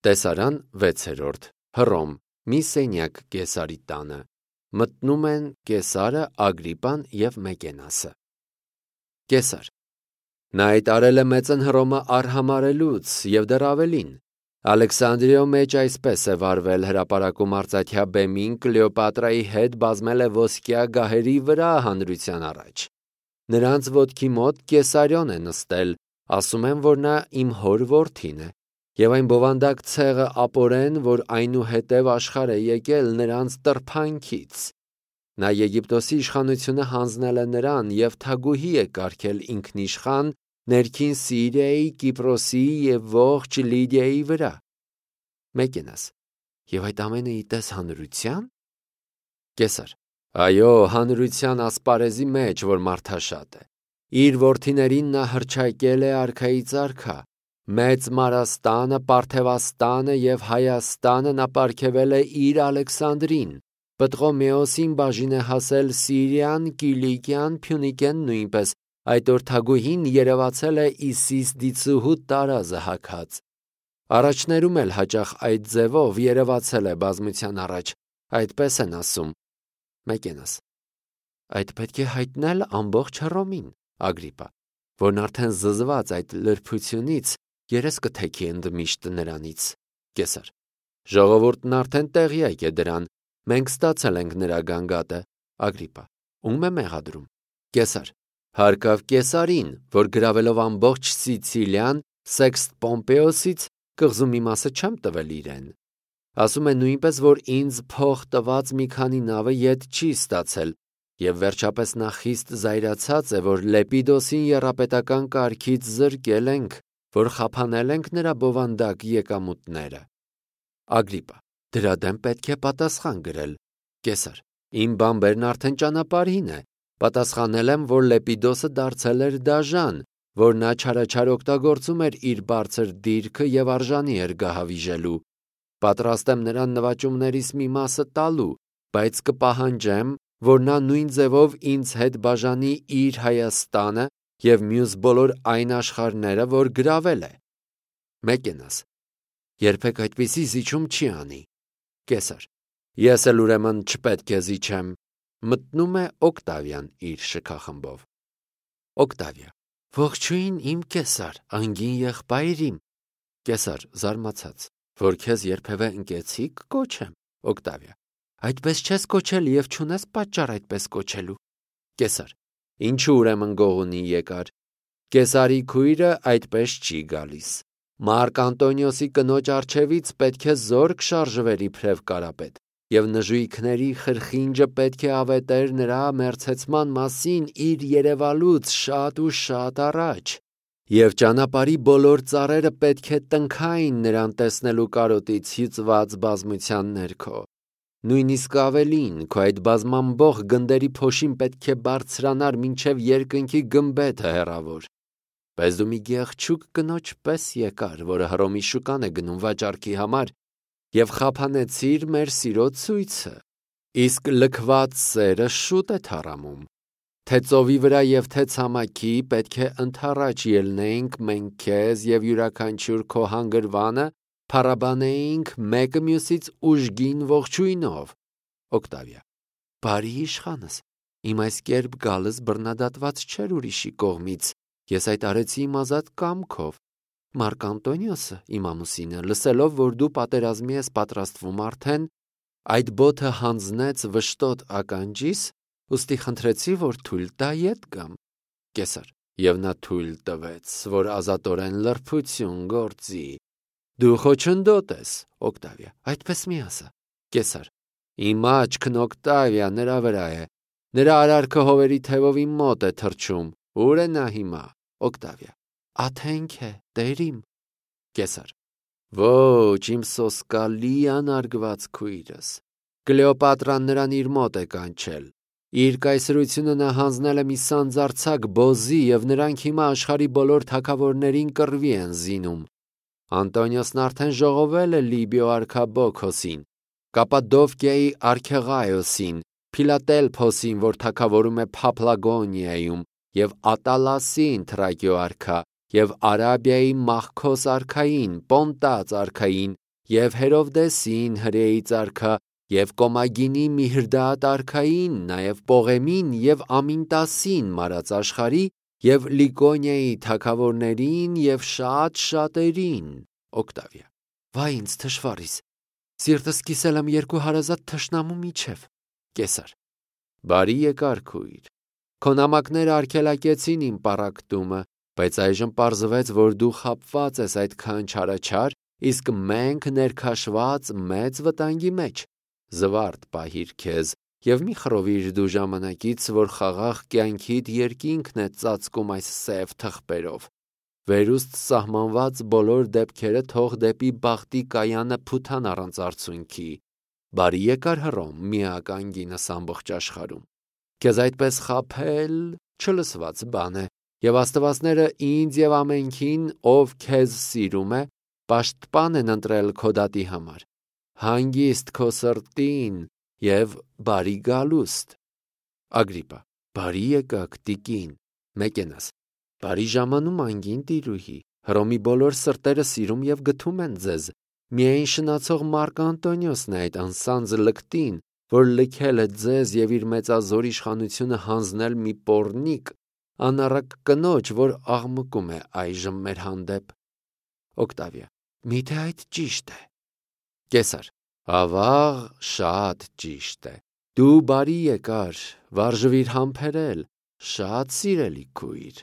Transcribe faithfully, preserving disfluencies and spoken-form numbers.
Տեսարան վեցերորդ Հռոմ մի սենյակ Կեսարի տանը մտնում են Կեսարը, Ագրիպան և Մեկենասը։ Կեսար. նա այդ արել է մեծն Հռոմը արհամարելուց և դեռ ավելին։ Ալեքսանդրիո մեջ այսպես է վարվել հրապարակում արծաթյա բեմին Կլեոպատրայի հետ բազմել է ոսկյա գահերի վրա հանրության առաջ։ Նրանց ոտքի մոտ Կեսարիոն է նստել, ասում են, որ նա իմ հոր որդին է, և այն բովանդակ ցեղը ապորեն, որ այնուհետև աշխարհ է եկել նրանց տրփանքից։ Նա Եգիպտոսի իշխանությունը հանձնել է նրան և թագուհի է կարգել ինքնիշխան ներքին Սիրիայի, Կիպրոսի և ողջ Լիդիայի վրա։ Մեկենաս. և այդ ամենը իտես հանրության։ Կեսար. այո, հանրության ասպարեզի մեջ, որ մարդաշատ է։ Իր որդիներին նա հռչակել է արքայից արքա։ Մեծ Մարաստանը, Պարթևաստանը և Հայաստանը նա պարգևել է իր Ալեքսանդրին։ Պտղոմեոսին բաժին է հասել Սիրիան, Կիլիկիան, Փյունիկեն նույնպես, այդ օր թագուհին երևացել է Իսիս դիցուհու տարազը հագած։ Առաջներում էլ հաճախ այդ ձևով երևացել է բազմության առաջ, այդպես են ասում։ Մեկենաս. այդ պետք է հայտնել ամբողջ Հռոմին։ Ագրիպա, որն արդեն զզված այդ լրբությունից երես կթեքի ընդմիշտ նրանից։ Կեսար. ժողովուրդն արդեն տեղյակ է դրան, մենք ստացել ենք նրա գանգատը։ Ագրիպա. ում է մեղադրում։ Կեսար. հարկավ Կեսարին, որ գրավելով ամբողջ Սիցիլիան Սեքստ Պոմպեոսից կղզու մի մասը չեմ տվել իրեն։ Ասում է նույնպես, որ ինձ փող տված մի քանի նավը ետ չի ստացել, և վերջապես նա խիստ զայրացած է, որ Լեպիդոսին եռապետական կարգից զրկել ենք, որ խափանել ենք նրա բովանդակ եկամուտները։ Ագրիպա. դրա դեմ պետք է պատասխան գրել։ Կեսար. իմ բամբերն արդեն ճանապարհին է։ Պատասխանել եմ, որ Լեպիդոսը դարձել էր դաժան, որ նա չարաչար օգտագործում էր իր բարձր դիրքը և արժանի էր գահավիժելու։ Պատրաստ եմ նրան նվաճումներիս մի մասը տալու, բայց կպահանջեմ, որ նա նույն ձևով ինձ հետ բաժանի իր Հայաստանը և մյուս բոլոր այն աշխարհները, որ գրավել է։ Մեկենաս. երբեք այդպիսի զիջում չի անի։ Կեսար. ես էլ ուրեմն չպետք է զիջեմ։ Մտնում է Օկտավիան իր շքախմբով։ Օկտավիա. ողջույն իմ Կեսար, անգին եղբայր իմ։ Կեսար զարմացած, որ քեզ երբևէ ընկեցի՞ք կոչեմ։ Օկտավիա. այդպես չես կոչել և չունես պատճառ այդպես կոչելու։ Կեսար. ինչու ուրեմն գողունի եկար։ Կեսարի քույրը այդպես չի գալիս։ Մարկ Անտոնիոսի կնոջ առջևից պետք է զորք շարժվեր իբրև կարապետ, և նժույգների խրխինջը պետք է ավետեր նրա մերձեցման մասին իր երևալուց շատ ու շատ առաջ, և ճանապարհի բոլոր ծառերը պետք է տնքային նրան տեսնելու կարոտից հյուծված բազմության ներքո։ Նույնիսկ ավելին, քո այդ բազմամբող գնդերի փոշին պետք է բարձրանար մինչև երկնքի գմբեթը հեռավոր։ Բայց դու մի գեղեցիկ կնոջ պես եկար, որը Հռոմի շուկան է գնում վաճառքի համար, և խափանեցիր մեր սիրո ցույցը։ Իսկ լքված սերը շուտ է թառամում։ Թե ծովի վրա և թե ցամաքի պետք է ընդառաջ ելնեինք մենք քեզ և յուրաքանչյուր քո հանգրվանը փառաբանեինք մեկը մյուսից ուժգին ողջույնով։ Օկտավիա. բարի իշխանս, իմ այս կերպ գալս բռնադատված չէր ուրիշի կողմից, ես այդ արեցի իմ ազատ կամքով։ Մարկ Անտոնիոսը, իմ ամուսինը, լսելով, որ դու պատերազմի ես պատրաստվում արդեն, այդ բոթը հանձնեց վշտոտ ականջիս, ուստի խնդրեցի, որ թույլ տա ետ գամ։ Կեսար. և նա թույլ տվեց, որ ազատորեն լրբություն գործի։ Դու խոչընդոտ ես։ Օկտավիա. այդպես մի ասա։ Կեսար. իմ աչքն Օկտավիա նրա վրա է։ Նրա արարքը հովերի թևով իմ մոտ է թռչում։ Ուր է նա հիմա։ Օկտավիա. աթենք է, տերիմ։ Կեսար. ոչ, իմ սոսկալի անարգված քույրս։ Կլեոպատրան նրան իր մոտ է կանչել։ Իր կայսրությունը նա հանձնել է մի սանձարձակ բոզի, և նրանք հիմա աշխարհի բոլոր թագավորներին կռվի են զինում։ Անտոնիոսն արդեն ժողովել է Լիբիո արքա Բոքոսին, Կապադովկիայի Արքեղայոսին, Փիլատելփոսին, որ թագավորում է Փափլագոնիայում, և Ատալասին Թրակիո արքա, և Արաբիայի Մախքոս արքային, Պոնտաց արքային, և Հերովդեսին հրեի արքա, և Կոմագինի Միհրդաատ արքային, նաև Պողեմին և Ամինտասին մարած աշխարհի, և Լիկոնիայի թագավորներին և շատ շատերին։ Օկտավիա. Վայ ինձ թշվառիս, սիրտս կիսել եմ երկու հարազատ թշնամու միջև։ Կեսար. Բարի եկար քույր, քո նամակները արգելակեցին իմ պառակտումը, բայց այժմ պարզվեց, որ դու խաբված ես այդքան չարաչար, իսկ մենք ներքաշված մեծ վտանգի մեջ։ Զվարթ պահիր քեզ և մի խռովիր դու ժամանակից, որ խաղաղ կյանքիդ երկինքն է ծածկում այս սև թղթերով։ Վերուստ սահմանված բոլոր դեպքերը թող դեպի բախտի կայանը փութան առանց արցունքի։ Բարի եկար Հռոմ, միակ անգինս ամբողջ աշխարհում։ Քեզ այդպես խաբել չլսված բան է, և աստվածները ինձ և ամենքին, ով քեզ սիրում է, պաշտպան են ընտրել քո դատի համար։ Հանգիստ քո սրտին և բարի գալուստ։ Ագրիպպա. Բարի եկաք, տիկին։ Մեկենաս. Բարի ժամանում անգին տիրուհի, Հռոմի բոլոր սրտերը սիրում և գթում են ձեզ։ Միայն շնացող Մարկ Անտոնիոսն է այդ անսանձ լկտին, որ լքել է ձեզ և իր մեծազոր իշխանությունը հանձնել մի պոռնիկ, անառակ կնոջ, որ աղմկում է այժմ մեր հանդեպ։ Օկտավիա. Միթե այդ ճիշտ է։ Կեսար. Ավաղ, շատ ճիշտ է։ Դու բարի եկար, վարժվիր համբերել, շատ սիրելի քույր։